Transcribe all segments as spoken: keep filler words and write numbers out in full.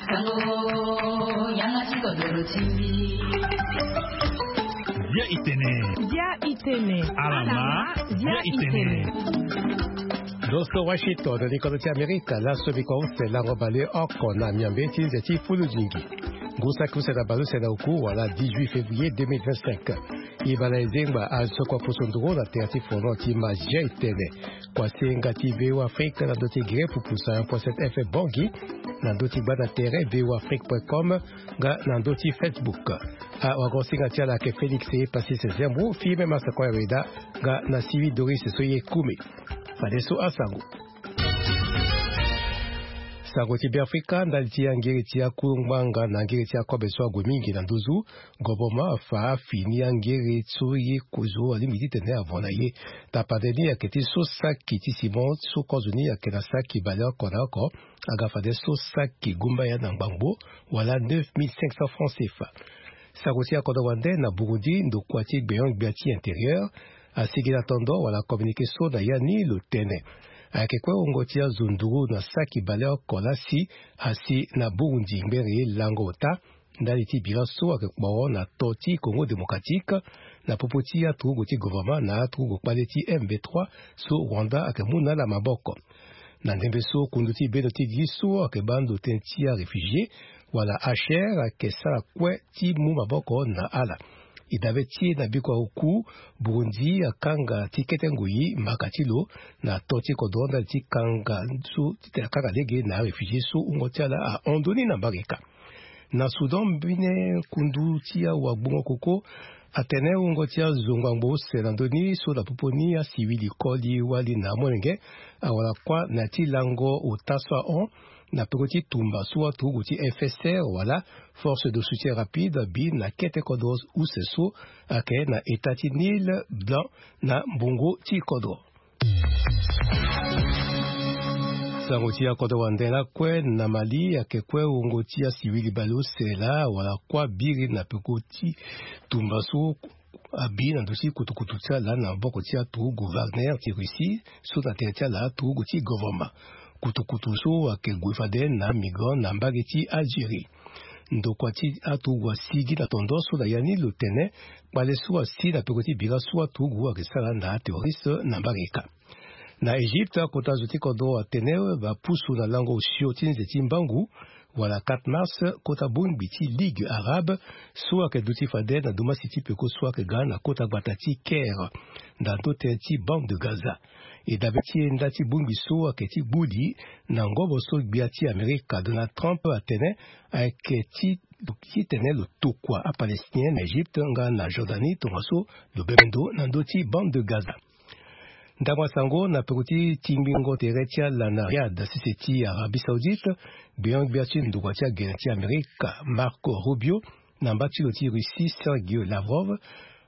Sango, yanga ti kodoro ti mbi. Bia itene. Bia itene. Alama, bia itene. Ndo so Washington, likodo ti Amerika, laso biko use lango bale oko na miambe ti nze ti fulu zingi. Ngu saki use na bale use na oku wala dix-huit février deux mille vingt-cinq. E bana e zengba azo kua poso nduru na tere ti fono ti ma bia itene. Kua senga ti V O Afrique na ndo ti gere pupu cent un point sept F M Bangui, na ndo ti gbanda tere V O Afrique point com, nga na ndo ti Facebook. Awagosinga ti ala ayeke Félix Passis Zembo, Firmin Massakoya Weda, nga na Sylvie Doris so ye kumi. Fadeso asango. Sango ti Beafrika, ndali ti angiri ti akuru ngbanga na angiri ti akobe so ague mingi na nduzu. Governement afa afini angiri so ye kozo alingbi titene avo na ye. Tapande ni ayeke ti so saki ti simon so kozo ni ayeke na saki baleoko na oko. Aga fade so saki gumbaya na ngbangbo, wala neuf mille cinq cents francs C F A. Sango ti akodro wande na Burundi, ndokua ti gbenyo-gbia ti intérieur asigi na tondo wala communiqué so na ya ni lo tene. Ayeke kue wungo ti azo nduru na saki baleoko lasi asi na Burundi ngbere lango ota. Ndali ti bira so ayeke kporo na to ti Congo Démocratique, na popo ti aturugu ti gouvernement na aturugu kpale ti M V trois so Rwanda ayeke mu na ala maboko. Na ndembe so kundu ti bendo ti li so ayeke baa ndo tënë ti aréfugié wala H R ayeke sara kue ti mu maboko na ala. E dabe ti e na biko oku, Burundi akanga ti kete ngoi mbaka ti lo na to ti kodro ndali ti kanga so titene akanga lege na aréfugié so wungo ti ala ahon ndoni na mbage ka. Na Soudan, mbene kundu ti awagbongo koko atene wungo ti azo ngbangbo use na ndö ni so na popo ni asivili koli wali na amolenge awara kuâ na ya ti lango ota so ahon na peko ti tumba so aturugu ti F S R wala Force de Soutien Rapide abi na kete kodro use so ayeke na eta ti Nil Blanc na mbongo ti kodro. Sango ti akodro wande lakue na Mali ayeke kue wungo ti asivili baleuse laa wala kuâ biri na peko ti tumba so abi na ndo ti kutukutu ti ala na maboko ti aturugu Wagner ti Russie so na tere ti ala aturugu ti gouvernement. Kutukutu so ayeke gue fade na migrant na mbage ti Algérie. Ndokua ti aturugu asigi na tondo so na ya ni lo tene kpale so asi na peko ti bira so aturugu ayeke sara na aterroriste na mbage ka. Na Égypte, akota zo ti kodro atene bapusu na lango osio ti nze ti mbangu wala quatre mars, kota bongbi ti Ligue arabe so ayeke duti fade na dumasi ti peko so ayeke ga na kota gbata ti Caire, na ndo tënë ti bande de Gaza. E dabe ti e nda ti bongbi so ayeke ti gbuli na ngobo so gbia ti Amerika Donald Trump atene ayeke ti titene lo tokua aPalestinien na Égypte nga na Jordanie tongaso lo bembe ndo na ndö ti bande de Gaza. Ndangba sango na peko ti tingbingo tere ti ala na Riyad, sese ti Arabie Saoudite, gbenyo-gbia ti ndokua ti agene ti Amerika Marco Rubio na mba ti lo ti Russie Sergio Lavrov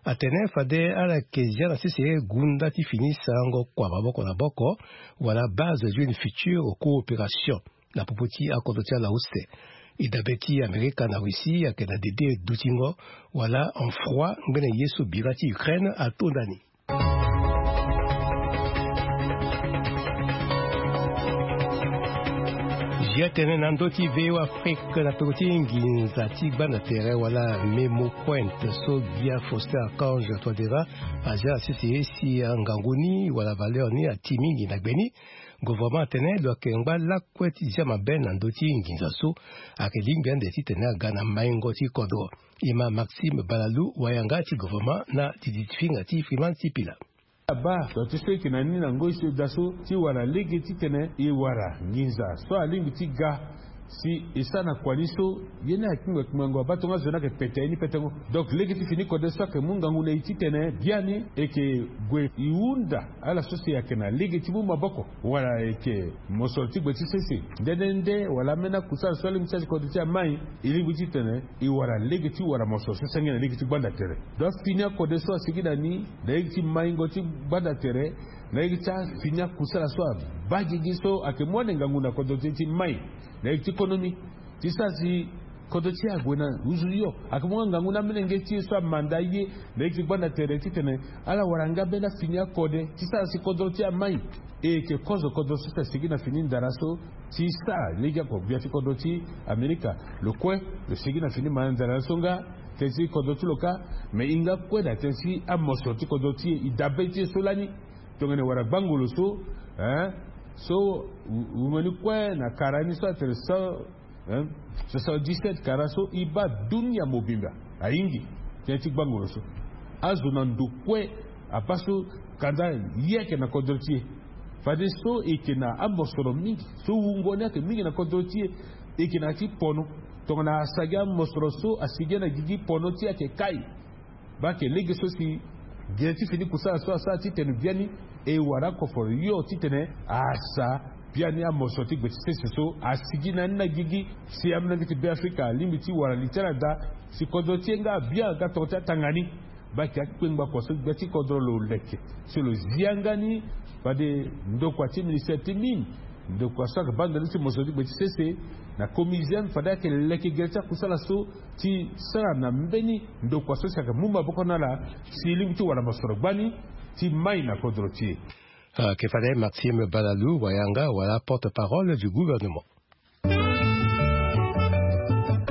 atene fade ala yeke zia na sese gunda ti fini sarango kua maboko na boko wala base d'une future coopération na popo ti akodro ti ala use. E dabe ti Amerika na Russie ayeke na dede dutingo wala en froid ngbene ye so bira ti Ukraine atonda ni. Zia tene na ndö ti V O Afrique na peko ti nginza ti gbanda tere wala Memo Point so gbia Faustin Archange Touadéra azia na sese si angangu ni wala valeur ni ati mingi na gbe ni. Gouvernement atene lo yeke ngba lakue ti zia mabe na ndö ti nginza so ayeke lingbi ande titene aga na maingo ti kodro. E ma Maxime Balalou, wayanga ti gouvernement na didi ti finga ti Freeman Sipila. Abaa, donc ti so e yeke na ni na ngoi so e daa so ti wara lege titene e wara nginza so alingbi ti ga si e sara na kua ni so ye ni ayeke kpingba kpingbango abaa tongaso ni ayeke pete ye ni petengo. Donc lege ti fini kode so ayeke mu ngangu na e titene biani e yeke gue e hunda ala so si ayeke na lege ti mu maboko wala e yeke mosoro ti gbe ti sese. Nde nde nde wala ambeni akusala so alingbi ti sara ti kode ti amai, e lingbi titene e wara lege ti wara mosoro so senge na lege ti gbanda tere. Donc afini akode so asigi na ni na lege ti maingo ti gbanda tere na lege ti afini akusala so abaa gigi so ayeke mu ande ngangu na kodro ti e ti mai na lege ti konomi ti sara si Kodro ti e ague na nduzu hio. Ayeke mu nga ngangu ni amolenge ti e so amanda ye na ye ti gbanda tere titene ala wara nga mbeni afini akode ti sara si kodro ti e amai. E yeke kozo kodro so si asigi na fini ndara so ti sara lege oko gbia ti kodro ti Amerika. Lo kue lo sigi na fini manda ndara so nga tënë ti kodro ti lo kâ. Me e hinga kue na tënë ti amosoro ti kodro ti e, e dabe ti e so lani. Tongana e wara gbangolo so, eh, so wungo ni kue na kara ni so atene so, eh, soixante-dix-sept kara so e baa dunia mobimba ahingi tënë ti gbangolo so. Azo na ndo kue abaa so kanda ye ayeke na kodro ti e. Fade so e yeke na amosoro mingi so wungo ni ayeke mingi na kodro ti e. E yeke na ya ti pono. Tongana asagi amosoro so asigi na gigi, pono ti e ayeke kai. Baa ayeke lege so si gere ti fini kusala so asara titene biani e wara akoforo hio titene asa biani amosoro ti gbe ti sese so asigi na ni na gigi. Si amolenge ti Beafrika alingbi ti wara li ti ala daa si kodro ti e nga abia nga tongana ti atanga ni. Baa ayeke akpengba kua so gbia ti kodro lo leke si lo zi yanga ni. Fade ndokua ti ministère ti mine, ndokua so ayeke baa ndoni ti mosoro ti gbe ti sese na comisienne, fade ayeke leke gere ti akusala so ti sara na mbeni ndokua so si ayeke mu maboko na ala si e lingbi ti wara mosoro gbani ti mai na kodro ti e. Ayeke fade Maxime Balalou, wayanga wala porte-parole du gouvernement.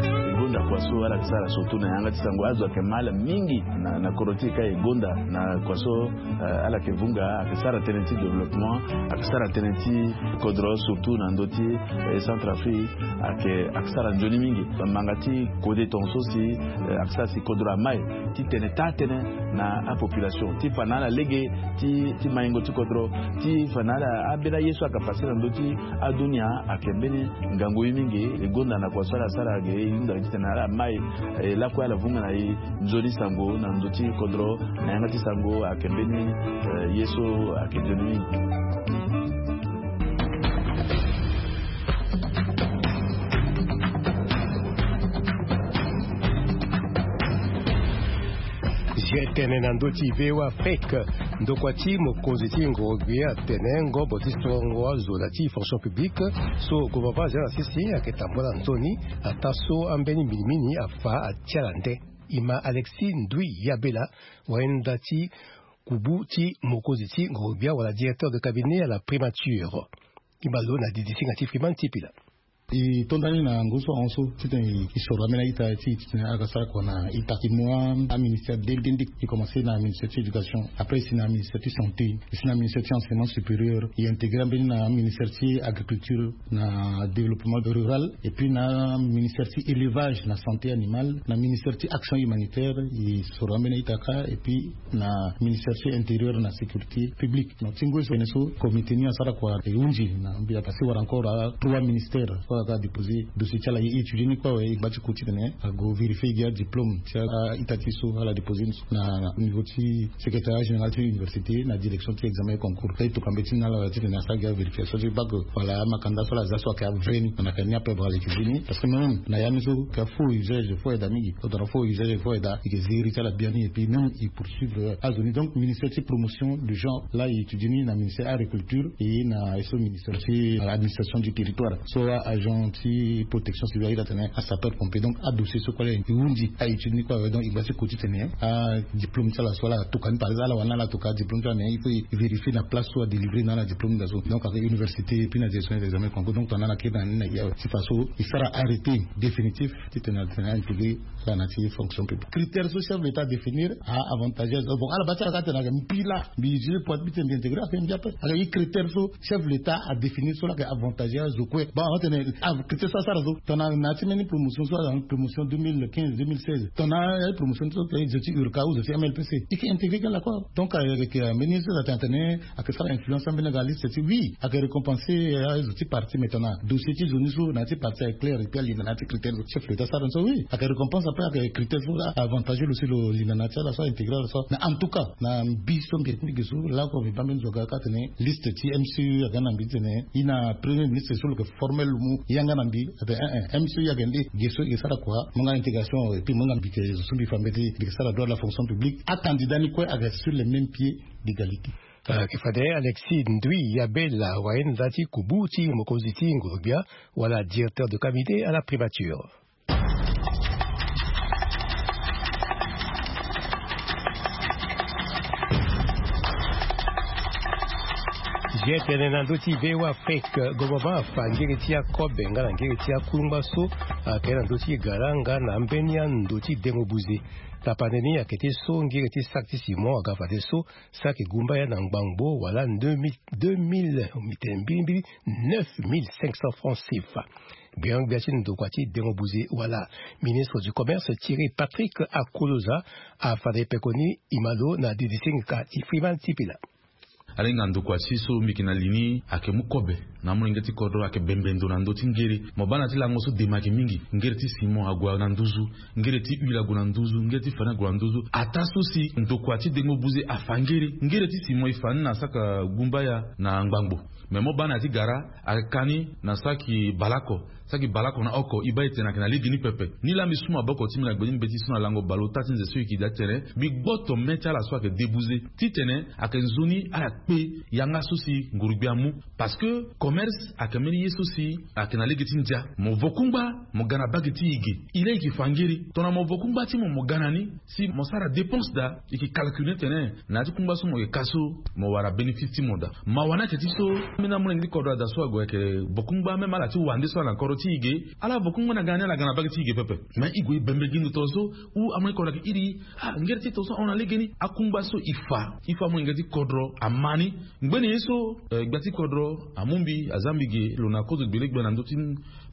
E gonda kua so ala yeke sara surtout na yanga ti sango, azo ayeke ma ala mingi na, na kodro ti e ka e gonda na kua so, eh, ala yeke vunga, ayeke sara tënë ti développement, ayeke sara tënë ti kodro surtout na ndö ti, eh, Centrafrique, ayeke, ayeke sara nzoni mingi. Manga ti kode tongaso si, eh, ayeke sara si kodro amai titene taa tënë na apopulation ti fa na ala lege ti, ti maingo ti kodro, ti fa na ala ambeni aye so ayeke pase na ndö ti adunia. Ayeke mbeni ngangu ye mingi. E gonda na kua so ala sara ge, e hunda titene ala mai, eh, lakue ala vunga na e nzoni sango na ndö ti kodro na yanga ti sango. Ayeke mbeni, eh, ye so ayeke nzoni mingi. Zia tene na ndö ti V O A Afrique. Ndokua ti mokonzi ti ngoro-gbia atene ngombo ti sorongo azo na ti fonction publique so gouvernement azia na sese ayeke tambula nzoni, ataa so ambeni minimini afa atia na nde. E ma Alexis Ndui Yabela, wayenda ti kubu ti mokonzi ti ngoro-gbia wala directeur de cabinet à la primature. E ma lo na didisinga ti Freeman Tipila. E to nda ni na ngu so ahon so titene e soro ambeni a-ita ti e titene ala ga sara kua na ita ti mu aministère nde nde nde. E komanse na ministère ti éducation, après e si na ministère ti santé, e si na ministère ti enseignement supérieur, e intégré ambeni na ministère ti agriculture na développement rural, et puis na ministère ti élevage na santé animale, na ministère ti action humanitaire, e soro ambeni a-ita kâ, et puis na ministère ti intérieur na sécurité publique. Donc ti ngu so tene so comité ni asara kua e hunzi na mbi, parce que wara encore trois ministères so ala ga déposer dossier ti ala, e étudier ni kue awe. E gba ti ku titene ague vérifier gi adiplôme ti a-ita ti e so ala déposer ni so na niveau ti secrétariat général ti université na direction ti examen et concours. E tokua mbeti ni na ala titene asara gi avérification ti bac wala amakanda so ala za so ayeke avrai ni. Na yeke ni ape bra ala étudier ni, parce que même na ya ni so ayeke faux usage, faux aida mingi. Tongana faux usage, faux aida, e yeke ziri ti ala biani, et puis même e poursuivre azo ni. Donc ministère ti promotion du genre laa e étudier ni na ministère agriculture et na so ministère ti administration du territoire. So agent ti protection civile, a-ita tene asapeur pompier. Donc adossier so kue laa e hunzi, a étudier ni kue awe. Donc e gba ti ku titene adiplôme ti ala so ala tokua ni, par exemple ala wani ala tokua diplôme ti ala, mais il faut e vérifier na place so adélivrer na ala diplôme ni daa so. Donc ayeke université et puis na direction des examens concours. Donc tongana ala kiri na ni na e awe, ti fa so e sara arrêté définitif titene atene a intégré ala na ti fonction publique. Critère so chef de l'état adéfinir a avantageuse. Bon, ala baa ti ala ka tene ayeke mbi laa mbi juge pointe mbi tene mbi intégré, ayeke mbi ape. Ayeke e critère so chef de l'état adéfinir so laa ayeke avantageuse kue. Bon, awa tene critère so asara so, tongana na ya ti mbeni promotion so, promotion deux mille quinze, deux mille seize, tongana ya ti promotion so, tongana zo ti urca ou zo ti M L P C, e yeke intégré kue laa kue. Donc ayeke mbeni so atene atene ayeke sara influence ambeni aga liste ti, oui, ayeke récompenser azo ti parti. Mais tongana dossier ti zo ni so na ya ti parti ayeke clair, et puis alinda na ya ti critère so chef de l'état asara ni so, oui, ayeke récompense, après ayeke critère so avantageux lo si lo linda na ya ti ala so, intégré ala so. Mais en tout cas na mbi so mbi yeke ti mbi ge so laa oko mbi baa mbeni zo aga ka tene liste ti M C U aga na mbi titene e na premier ministre so lo yeke formel lo mu yanga na mbi. Atene eh eh, M C U ayeke nde ge so e yeke sara kua, mo yanga intégration, et puis mo yanga mbi yeke zo so mbi fa mbeti, mbi yeke sara droit de la fonction publique. Acandidat ni kue ayeke sur les mêmes pieds d'égalité. Ayeke fade Alexis Ndui Yabela, wayenda ti kubu ti mokonzi ti ngoro-gbia wala directeur de cabinet à la primature. Ye tene na ndö ti V O A Afrique, gouvernement afa ngiri ti akobe nga na ngiri ti akungba so ayeke na ndö ti gara nga na ambeni ando ti dengo buze. Tapande ni ayeke ti so ngiri ti saki ti simon aga fade so saki gumba ya na ngbangbo wala deux mille, deux mille, mbi tene mbilimbili neuf mille cinq cents francs CFA. Gbia gbia ti ndokua ti dengo buze wala ministre du commerce Thierry Patrick Akoloza afa na epekoni imalo na didisingika ti Freeman Tipila. Alenga ndokua ti so mbi yeke na li ni ayeke mu kobe na amolenge ti kodro ayeke bembe ndo na ndö ti ngere. Mo baa na ti lango so dema ayeke mingi. Ngere ti simon ague na nduzu, ngere ti huile ague na nduzu, ngere ti fani ague na nduzu. Ataa so si ndokua ti dengo buze afa ngere, ngere ti simon e fa ni na saka gumbaya na ngbangbo. Me mo baa na ya ti gara ayeke ka ni na saki baleoko, saki baleoko na oko e baa e tene ayeke na legeni pepe. Nilaa mbi su maboko ti mbi na gbe ti mbeti so na lango baleota ti nze so e yeke daa ti tene mbi gboto me ti ala so ayeke debuze titene ayeke nzoni ala kpe yanga so si ngurugbia amu. Parce que commerce ayeke mbeni ye so si ayeke na lege ti ndia. Mo vo kungba mo ga na bage ti e ge. E laa e yeke fa ngeri tongana mo vo kungba ti mo mo ga na ni si mo sara dépense daa, e yeke calcule ni tene na ya ti kungba so mo yeke ka so mo wara bénéfice ti mo daa. Mawa ni ayeke ti so, ambeni amolenge ti kodro ada so ague ayeke vo kungba même ala ti wande so ala na kodro ti e ge. Ala vo kungba na ga na ni ala ga na bage ti e ge pepe. Mais e gue e bembe gi ndo tongaso ou amolenge ti kodro ayeke iri ah ngere ti tongaso ahon na legeni. Akungba so e fa e fa amolenge ti kodro ama ni. Ngbene ye so eh, gbia ti kodro amu mbi aza mbi ge lo na kozo gbele gbia na ndö ti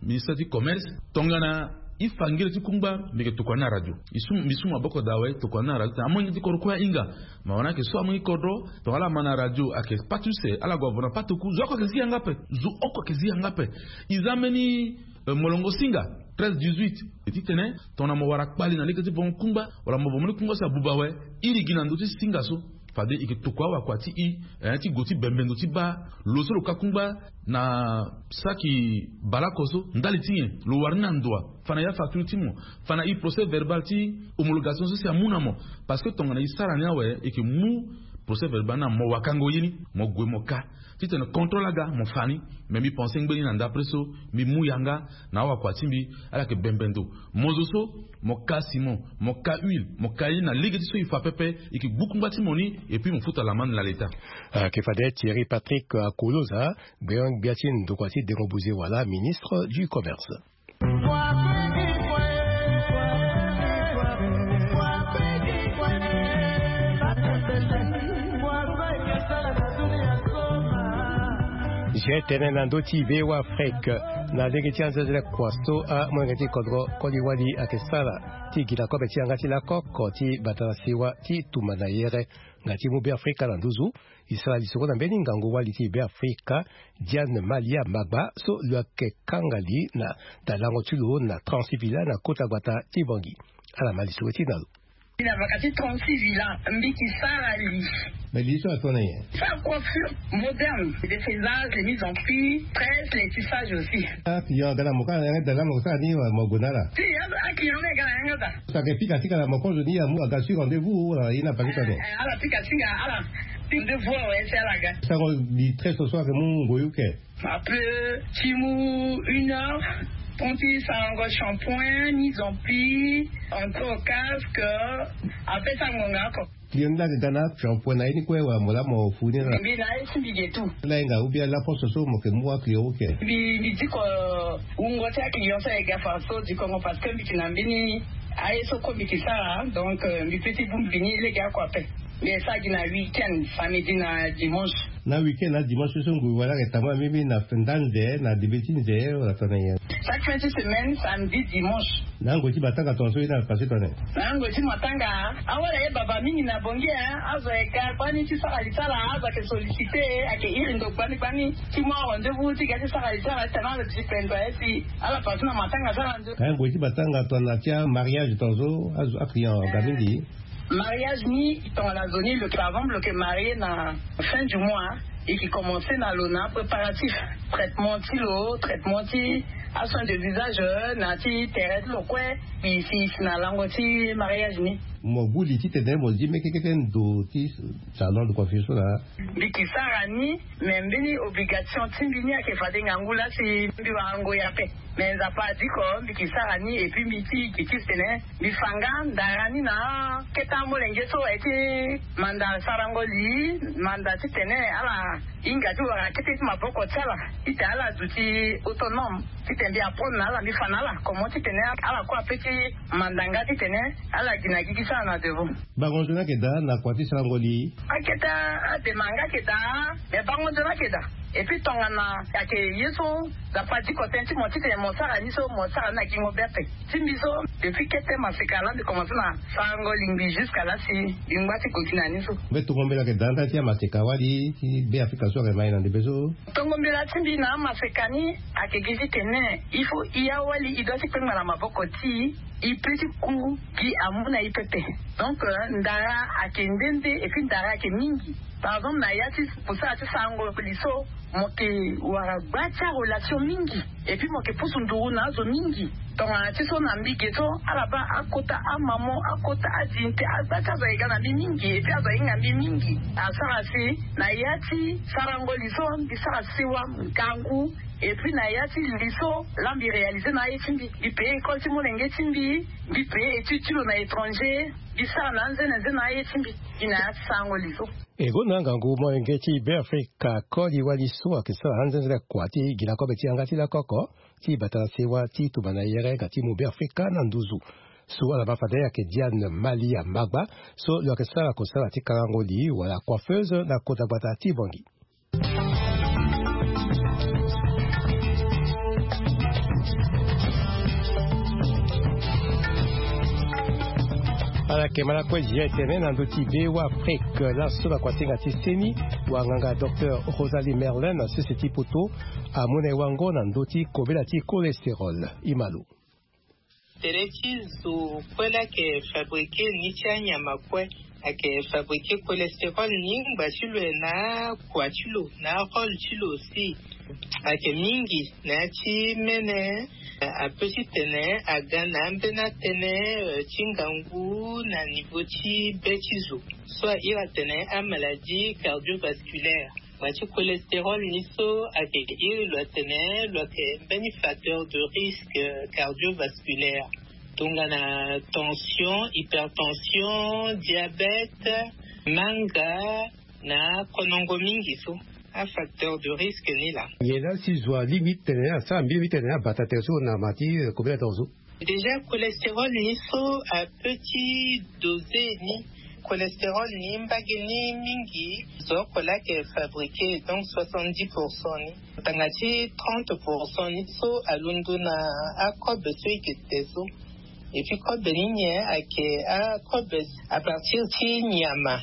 ministre ti commerce. Tongana e fa ngere ti kungba mbi yeke tokua ni na radio. E su mbi su maboko daa awe tokua ni na radio tongana amolenge ti kodro kue ahinga. Mawa ni ayeke so amolenge ti kodro tongana ala ma na radio ayeke pâte use ala gue avo na pâte oku zo oko ayeke zi yanga ape. Zo oko ayeke zi yanga ape. E za mbeni eh, molongo singa treize dix-huit. E titene tongana mo wara kpali na lege ti vongo kungba wala mo vo mbeni kungba so abuba awe, iri gi na ndö ti singa so. Fade e yeke tokua awakua ti e eh, ti gue ti bembe ndo ti baa lo so lo ka kungba na saki baleoko so ndali ti nyen lo wara ni na ndoa. Fa na ya facture ti mo, fa na e procès verbal ti homologation so si amu na mo. Parce que tongana e sara ni awe e yeke mu procès verbal ni na mo wakango ye ni mo gue mo ka titene contrôle aga mo fa ni. Mais mbi pense ngbeni na ndapre so mbi mu yanga na awakua ti mbi. Ala yeke bembe ndo. Mo zo so mo ka simon, mo ka huile, mo ka ye ni na lege ti so e fa pepe. E yeke gbu kungba ti mo ni. Et puis mo futa lamande na leta. Ayeke fade Thierry Patrick Akoloza, gbia gbia ti ndokua ti dengo buze wala ministre du commerce. Ge tene na ndö ti V O A Afrique na lege ti anzenzele kua so amolenge ti kodro koli wali ayeke sara ti gi na kobe ti yanga ti lakoko ti bata na sewa ti tumba na yere nga ti mu Beafrika na nduzu. E sara lisoro na mbeni ngangu wali ti Beafrika, Diane Malia Magba so lo yeke kanga li na dalango ti lo na Transivila na kota gbata ti Bangui. Ala ma lisoro ti na lo. Ni na baka ti trente-six villa mbi ki sara li. Mais li so atona ye sa coiffure moderne, défaisage, les mises en prix, presse, les tissages aussi. Ah client aga na mo kala yanga dala mo sara ni wa mo gue na ala. Si a client ni aga na yanga da. Sa ke pika ti kala mo kozo ni amu aga sur rendez-vous wala ye na pake tano. Ala pika ti nga ala rendez-vous awe si ala ga. Sango li très ce soir ke mu ngoyu ke. Après ti mu une heure, ton ti sarango shampoing, mise en pli, entrée au casque. Après ça ngonga ako. Client ni la ke ga na shampoing na ye ni kue wala mo la mo fu ni la. Mbi na ye si mbi ge tout. La ye nga ou bien la poste so mo ke mu aclient ou ke. Mbi mbi diko wungo ti aclient so aye ga fa so dikongo parce que mbi ke na mbeni aye so ko mbi ke sara donc mbi pe ti bu mbi ni lege ako ape. Mbi e sara gi na week-end, samedi na dimanche. Na week-end na dimanche so ngoi wala ayeke tama mimi na nda nze na debe ti nze wala tana nyen? Chaque fin ti semaine, samedi, dimanche. Na ngoi ti matanga tongaso ye ni ala pase tana nyen? Na ngoi ti matanga awara ye baba mingi na bongi e. Azo ayeke ga gbani ti sara li ti ala, azo ayeke sollicite, ayeke iri ndo gbani gbani ti mu arendez-vous ti ga ti sara li ti ala ti tana ala dipendo aye si ala pase na matanga ti ala nde. Ka ngoi ti matanga tongana ti amariage tongaso azo aclient aga mingi. Mariage ni tongana zo ni lo ke avant lo ke marier na fin du mois. E ke commencer na lo na préparatif, traitement ti lo, traitement ti asoin de visage, na ti tere ti lo kue. E si e si na lango ti mariage ni. Mo gbu li titene mo zi mekekete ndo ti salon de coiffure so laa. Mbi ke sara ni, me mbeni obligation ti mbi ni ayeke fade ngangu laa si mbi wara ngoi ape. Me nzapa adiko mbi ke sara ni, epui mbi ti ke ti tene mbi fa nga ndara ni na akete amolenge so aye ti manda sarango li, manda titene ala hinga ti wara kete ti maboko ti ala, titene ala duti autonome, titene mbi apprendre na ala, mbi fa na ala comment titene ala kue ape ti manda nga titene ala gi na gi ti sara na devant. Bango nzoni ayeke daa na kua ti sarango li? Akete adema nga ayeke daa, me bango nzoni ayeke daa. Epui tongana ayeke ye so, nzapa adiko tënë ti mo titene mo sara ni so, mo sara ni na gingo be ape. Ti mbi so, depuis kete maseka laa mbi komanse na sarango lingbi jusqu'à laa si mbi ngba ti gue gi na ni so. Mbe tongo mbela ayeke daa nda ti amaseka wali ti Be Afrika so ayeke ma e na ndembe so? Tongo mbela ti mbi na amaseka ni ayeke gi titene il faut e awali e doit ti kpengba na maboko ti e, e peut ti ku gi amu na e pepe. Donc, euh, ndara ayeke nde nde, epui ndara ayeke mingi. Par exemple, na ya ti mosala ti sarango li so, mo ke wara gba ti arelation mingi, epui mo ke pusu nduru na azo mingi. Tongana ti so na mbi ge so, ala baa akota amamo, akota adinte, agba ti azo aye ga na mbi mingi, epui azo ahinga mbi mingi. Asara si na ya ti sarango li so, mbi sara sewa ngangu, epui na ya ti li so laa mbi réaliser na aye ti mbi. Mbi payer école ti molenge ti mbi, mbi payer étude ti lo na étranger, mbi sara na anzenenze na aye ti mbi. Gi na ya ti sarango li so. E gonda ngangu molenge ti Be Afrika koli wali so ayeke sara anzenze kua ti gi na kobe ti yanga ti lakoko ti bata na sewa ti tumba na yere nga ti mu Be Afrika na nduzu. So ala ma fade ayeke Diane Malia Magba, so lo yeke sara kosala ti karango li wala coiffeuse na kota gbata ti Bangui. Ala yeke ma lakue zia etene na ndö ti Be Afrika laso na kuasinga ti seni, wanganga docteur Rosalie Merlin na sese ti poto amu na e wango na ndö ti kobela ti cholestérol. E ma lo. Tere ti zo kue laa ayeke fabriquer ni ti anyama kue. Ayeke fabriquer cholestérol ni ngba ti lo e na akua ti lo na arôle ti lo aussi. Ayeke mingi na ya ti mene, apeut titene aga na ambeni atënë, euh, ti ngangu na niveau ti be ti zo so airi atene amaladie cardiovasculaire. Ngba ti cholestérol ni so ayeke iri lo atene lo ayeke mbeni facteur de risque cardiovasculaire. Tongana tension, hypertension, diabète, manga na konongo mingi so. Afacteur de risque ni laa. Nyen laa si zo alingbi titene asara mbi mbi tene abata tere so na ma ti, euh, kobela tongaso? Déjà, cholestérol ni so apeut ti doser ni. Cholestérol ni mbage ni mingi zo oko laa ayeke fabriquer, donc soixante-dix pour cent ni. Tanga ti trente pour cent ni so alondo na akobe so e ke te so. Et puis kobe ni nyen? Ayeke akobe à partir ti nyama.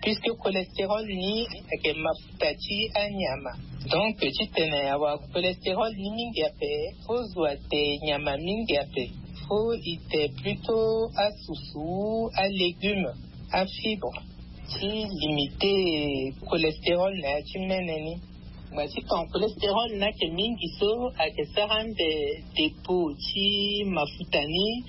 Puisque cholestérol ni ayeke mafuta ti anyama. Donc titene awara cholestérol ni mingi ape, faut zo ate nyama mingi ape. Faut e te plutôt asusu, alégume, afibre, ti limiter cholestérol na ya ti mene ni. Ngba ti ton cholestérol ni ayeke mingi so ayeke sara ande dépôt ti mafuta ni.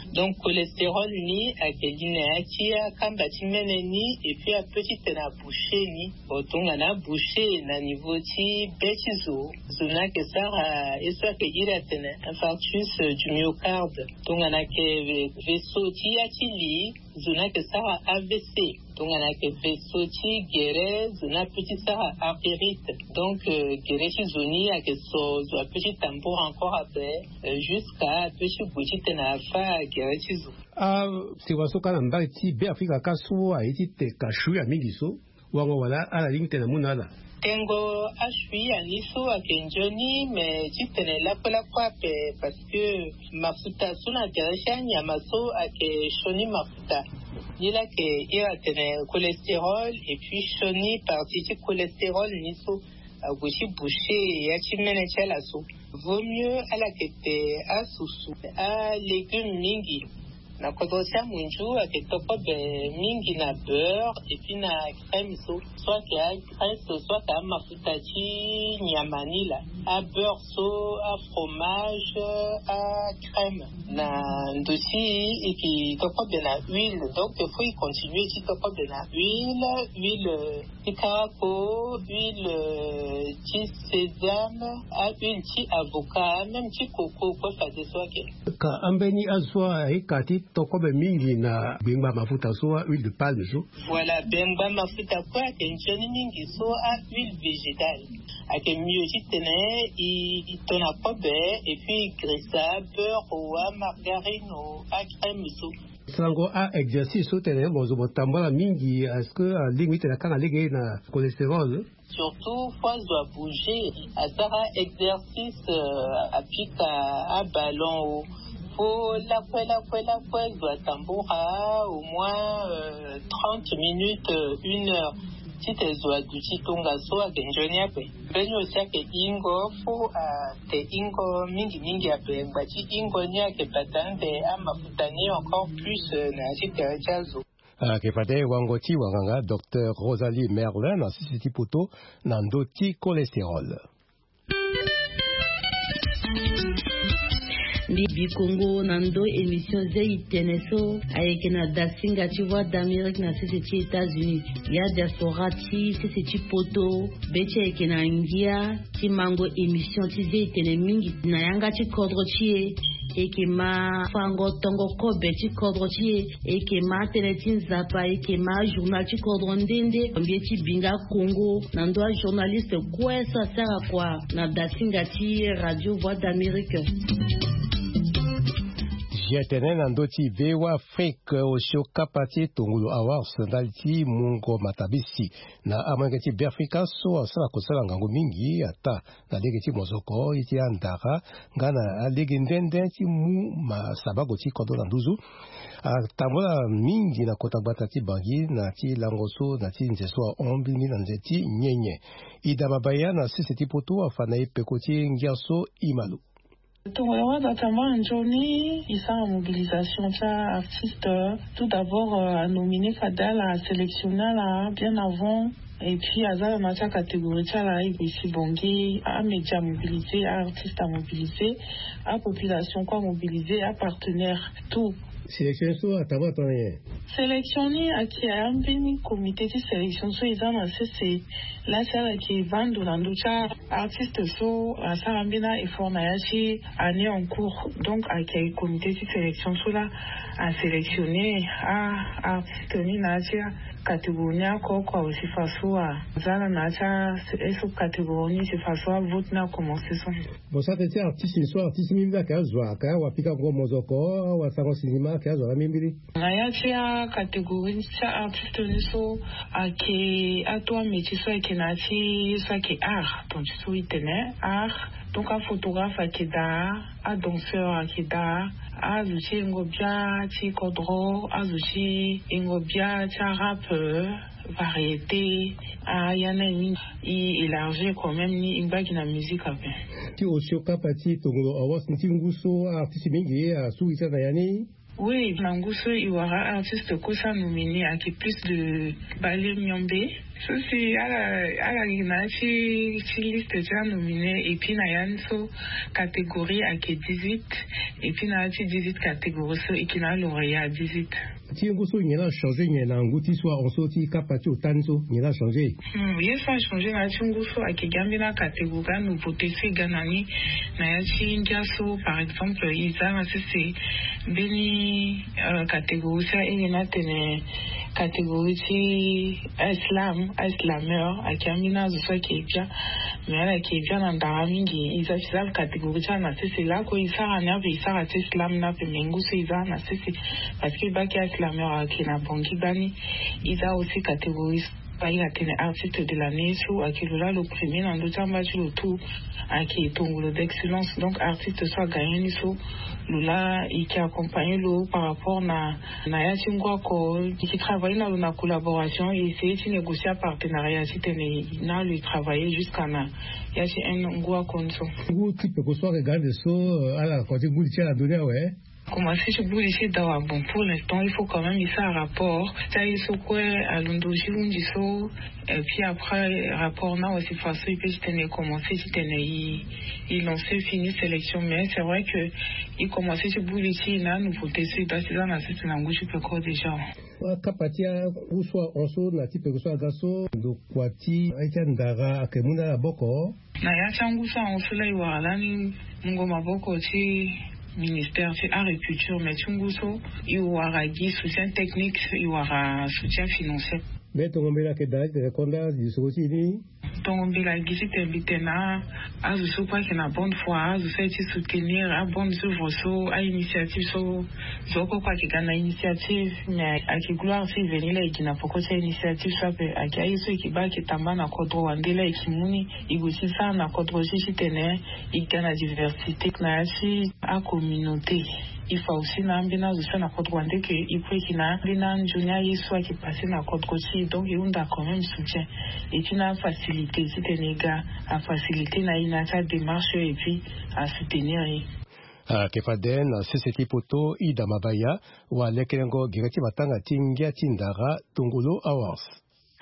Donc cholestérol ni ayeke li na ya ti akamba ti mene ni, et puis apeut titene aboucher ni. Bon, tongana aboucher na niveau ti be ti zo, zo ni ayeke sara ye so ayeke iri atene infarctus du myocarde. Tongana ayeke vaisseau ti ya ti li, zo ni ayeke sara A V C. Tongana ayeke vaisseau ti gere, zo ni apeut ti sara artérite. Donc, euh, gere ti zo ni ayeke so, zo apeut ti tambour encore ape, euh, jusqu'à apeut ti gue titene afa gere ti zo. Asewa so ka na mbage ti Be Afrika ka so aye ti teka shuya mingi so, wango wala ala lingbi tene amu na ala? Tengo ashuya ni so ayeke nzoni, me titene lakue lakue ape, parce que mafuta so na tere ti anyama so ayeke sioni mafuta. Ni laa ayeke iri atene cholestérol, et puis sioni partie ti cholestérol ni so ague ti boucher ya ti mene ti ala so. Vaut mieux ala yeke te asusu, alégume mingi. Na kodro ti amunzu ayeke to kobe mingi na beurre et puis na crème so, so ayeke agraisse so ayeke amafuta ti nyama ni laa. Abeurre so, afromage, acrème. Na ndo ti e yeke to kobe na huile, donc il faut e continue ti to kobe na huile. Huile ti karako, huile ti sésame, ahuile ti avocat, même ti coco kue fadeso ayeke. Ka ambeni azo so aye ka ti to kobe mingi na gbengba mafuta so, ahuile de palme so. Voilà, gbengba mafuta kue ayeke nzoni mingi so ahuile végétale. Ayeke mieux titene e to na kobe et puis e grisa beurre o, amargarine o, acrème so. Sango a exercice so tene mo zo mo tambula mingi, est-ce que alingbi tene akanga lege na cholestérol? Surtout fo azo abouger, asara exercice, euh, apika aballon o. Fo lakue lakue lakue zo atambura au moins, euh, trente minutes, euh, une heure. Tite zo aduti tongaso ayeke nzoni ape. Mbeni aussi ayeke hingo, fo ate hingo mingi mingi ape. Ngba ti hingo ni ayeke bata ande amafuta ni encore plus, euh, na ya ti tere ti azo. Ayeke fade wango ti wanganga docteur Rosalie Merlin na sese ti poto na ndo ti cholestérol. Mbi bi kongo na ndo émission zei tene so ayeke na dasinga ti Voix d'Amérique na sese ti États-Unis. Ya diaspora ti sese ti poto, be ti ayeke na ngia ti mango émission ti zei tene mingi na yanga ti kodro ti e. E yeke ma fango tongo kobe ti kodro ti e. E yeke ma tënë ti Nzapa, e yeke ma journal ti kodro nde nde. Mbi ye ti bi nga kongo na ndo ajournaliste kue so asara kua na dasinga ti Radio Voix d'Amérique. Zia tene na ndo ti VOA Afrique, osio kapa ti tongolo awards ndali ti mungo matabisi na amolenge ti Beafrika so asara kosala ngangu mingi ata na lege ti mozoko, ye ti andara, nga na alege nde nde ti mu ma sabago ti kodro na nduzu. Atambula mingi na kota gbata ti Bangui na ti lango so na ti nze so ahon mbeni na nze ti nyenye. Ida Mabaya na sese ti poto afa na e peko ti ngia so e ma lo. Tongana wanda tambula nzoni, e sara mobilisation ti artiste. Tout d'abord, euh, anomine fade ala, asélectionne ala bien avant. Et puis aza na na ti acatégorie ti ala, e gue si bongi amédia mobilisé, aartiste amobilisé, apopulation kue amobilisé, apartenaire, tout. Sélection so atambula tongana nyen? Sélection ni ayeke ambeni comité ti sélection so e za na sese. Laa si ala yeke vando na ndö ti aartiste so asara ambeni aeffort na ya ti année en cours. Donc ayeke comité ti sélection so laa asélectionne aartiste ni na ya ti acatégorie ni oko oko. Awe si faso aza na na ya ti a, e so catégorie ni si faso avote ni akomense so. Bon, sara tënë ti artiste ni so, artiste mingi ayeke azo ayeke awa pikango mozoko, awa sango sinima ayeke azo na mbirimbiri. Na ya ti acatégorie ti aartiste ni so ayeke ato amétier so ayeke na ya ti ye so ayeke art, donc ti so e tene art. Donc aphotographe ayeke daa, adanseur ayeke daa, azo ti yengo bia ti kodro, azo ti yengo bia ti arap, euh, variété, aya ni aye mingi. E élargir quand même ni e ngba gi na musique ape. Ti osio kapa ti tongolo awards ni ti ngu so aartiste mingi asu e ti ala na ya ni. Oui, na ngu so e wara artiste kue so anominé ayeke plus de bale miombe. So si ala, ala gi na ya ti, ti liste ti anominé, et puis na ya ni so catégorie ayeke dix-huit, et puis na ya ti dix-huit catégorie so e yeke na alauréat dix-huit. Ti ngu so nyen la achangé nyen na ngu ti so ahon so ti kapa ti ota ni so, nyen la achangé? Hmm, ye so achangé na ya ti ngu so ayeke gi ambeni acatégorie, anouveauté so e ga na ni na ya ti ngia so. Par exemple e za na sese mbeni, euh, catégorie so ahiri ni atene catégorie ti aslam, aslameur, ayeke ambeni azo so ayeke bia. Mais ala yeke bia na ndara mingi. E za ti za catégorie ti ala na sese. Lakue e sara ni ape, e sara ti slam ni ape, mais ngu so e za na sese. Parce que e baa ke aslameur ayeke na Bangui gbani. E za aussi catégorie so e baa e atene artiste de l'année so ayeke lo laa lo premier na ndö ti amba ti lo tout. Ayeke tongolo d'excellence. Donc artiste so agagné ni so, lo laa e yeke accompagné lo par rapport na, na ya ti ngu oko. E yeke travaillé na lo na collaboration, e essayé ti négocier apartenariat titene na lo e travaillé jusqu'à na ya ti un an ngu akoni so. Ngu ti peko so ayeke ga ande so, euh, ala kua ti ngu ti ala ndo ni awe. Commencé ti buli ti dawa. Bon, pour l'instant il faut quand même il sara rapport ti aye so kue alondo ti hunzi so. Et puis après rapport na wasi fa so il peut ti tene commencé ti tene il il lancé fini sélection, mais c'est vrai que il commencé ti buli ti na nouveauté so il doit ti za na sese na ngu ti peko déjà. Akapa ti angu so ahon so na ti peko so aga so ndo kua ti aye ti andara ayeke mu na ala boko. Na ya ti angu so ahon so la e wara lani mungo maboko ti ministère ti agriculture, mais ti ngu so e wara gi soutien technique, e wara soutien financier. Mbi tongo mbela ayeke daa ti tene konda lisoro ti e ni. Tongo mbela gi ti tene mbi tene na azo so kue ayeke na bonne foi, azo so aye ti soutenir abonne œuvre so, ainitiative so. Zo kue kue ayeke ga na initiative, mais ayeke gloire ti veni la e gi na poko ti ainitiative so ape. Ayeke aye so e yeke baa ayeke tamba na kodro wande la e yeke mu ni e gue ti sara na kodro ti titene e ga na diversité na ya ti acommunauté. E fa aussi na ambeni azo so na kodro wande ke e peut yeke na ambeni anzoni aye so ayeke passé na kodro ti e, donc e hunda quand même soutien. Et puis na afacilité titene e ga afacilité na e na ya ti adémarche et puis asoutenir e. Ayeke fade na sese ti poto Ida Mabaya, walekelengo gere ti matanga ti ngia ti ndara Tongolo Awards.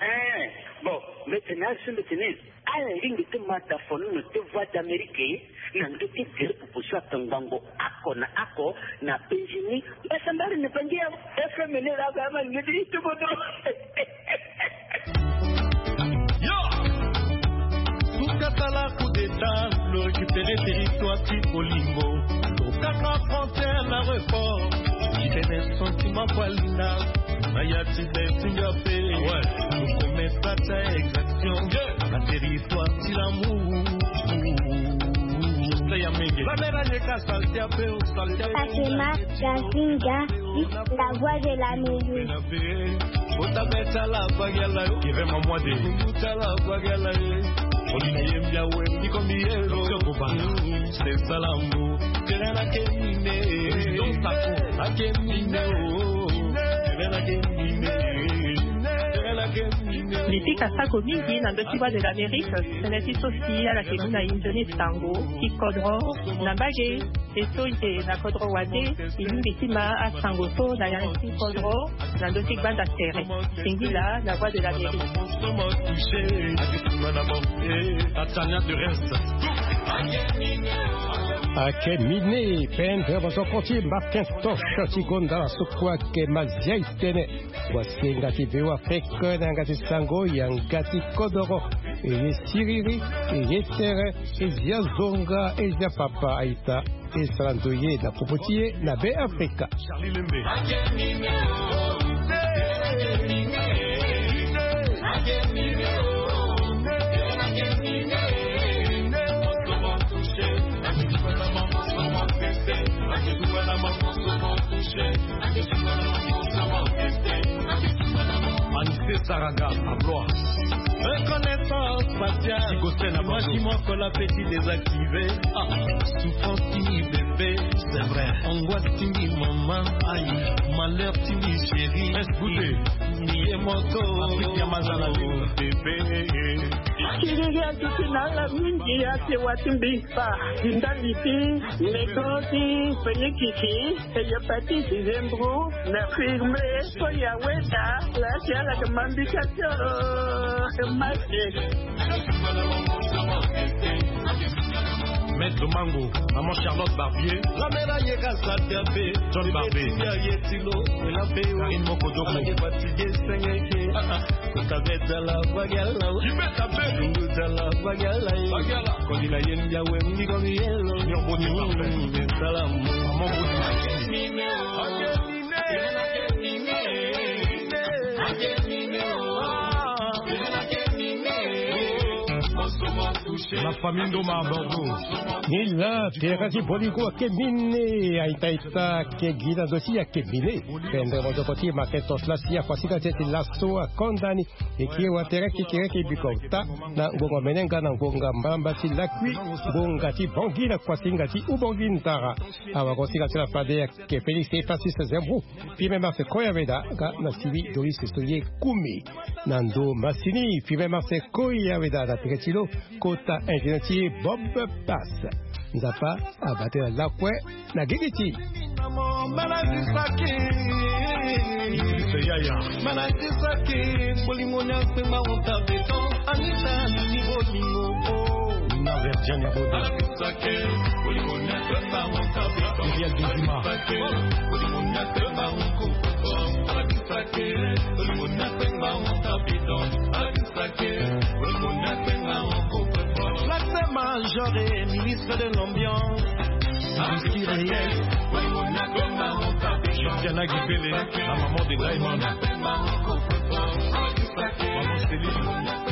Eh, bon, mbi tene azo so mbi tene ala lingbi ti ma dafo nono ti Voix d'Amérique na ndö ti gere popo so atongbango oko na oko na penzi ni. Mbasambari na bangi ya F M N la ba ma ngeti itobodo. Yo! Suka sala coup d'état, lo récupérer territoire ti Kolingo. Tokanga frontière na report. Kene sentiment kwa linda. Na ya ti be ti nga pe. Ah ouais. Nous commerce pas ta exaction. Yeah. Na territoire ti l'amour. Play ya menge. La mera ye ka salté ape o salté. Fatima Gazinga, la voix de l'Amérique. Kota beta la bagala. Kevin Mamwade. Kota la bagala. Oli na ye mbia we. Iko mi yelo. Docteur Kobana. C'est ça l'amour. Kele na ke mine. Président Sako. Na ke mine o. Kele na ke mine. Kele na ke mine. Mbi pika sako mingi na ndö ti Voix de l'Amérique. Tënë ti so si ala yeke mu na e nzoni sango ti kodro na mbage. E so e yeke na kodro wande, e lingbi ti ma asango so na ya ti kodro na ndö ti gbanda tere. Singila, la voix de l'Amérique. Ayeke mine, pendre mozoko ti Martin Toche ti gonda na so kue ayeke Mazia e tene. Wasinga ti Beo Afrique na yanga ti sango, yanga ti kodoro. E ye siriri, e ye tere, e zia zonga, e zia papa aita. E sara ndoye na popo ti e na Be Afrika. Charlie Lembe. Anissé Saraga, à Blois. Reconnaissance faciale. Moi, dis-moi que l'appétit désactivé. Ah, souffrance qui bébé, c'est vrai. Angoisse tini maman, aïe, malheur tini chérie. Reste goûté. Niye moto. Afrique ya mazala. Bébé. Kiriri atuti na ala mingi ate wati mbi pa. Ndali ti meko ti penikiki, hépatite, zembro, na firme, so ya weda, la ti ala ke mambika ti, eh, masque. Maître Mango, maman Charlotte Barbier. La mera yeka sata pe. John Barbier. Ya yetilo, la pe. Karine Mokodoko. Ala ke fatigué, sengeke. Ah, ah. Kota beta la bagala. Ibeta pe. Lungu ta la bagala. Bagala. Kodi na yen ya we, mi ko mi yelo. Nyo bote parfait. Salam. Maman bote. La famille Ndoma à Bordeaux. Ni la, tere ti Bolingo ayeke mine, aita-ita, ayeke gi na ndo ti e ayeke mine. Pendre mozoko ti Martin Toche la si akuasinga ti e ti laso akonda ni. E kiri watere kekereke bikota na ngonga menenga na ngonga mbalamba ti lakui, ngonga ti Bangui na kuasinga ti Ubangui Ndara. Awagosinga ti la fade ayeke Félix Epasis Zembrou. Pime Marse Koyaweda nga na Sylvie Doris Soye Kumi. Na ndo masini, Pime Marse Koyaweda na tere ti lo, kota Artiste ingénieur ti ye Bob Pass. Nzapa abate na lakue na gigi ti. Bolingo ni akpengba honte beton. Anita ni bolingo o. Nina Verdiane Abodo. Muriel Dezima. Black Major et ministre de l'ambiance. Whisky Reyes. Christiana Gibele, la maman de Diamond. Maman Céline.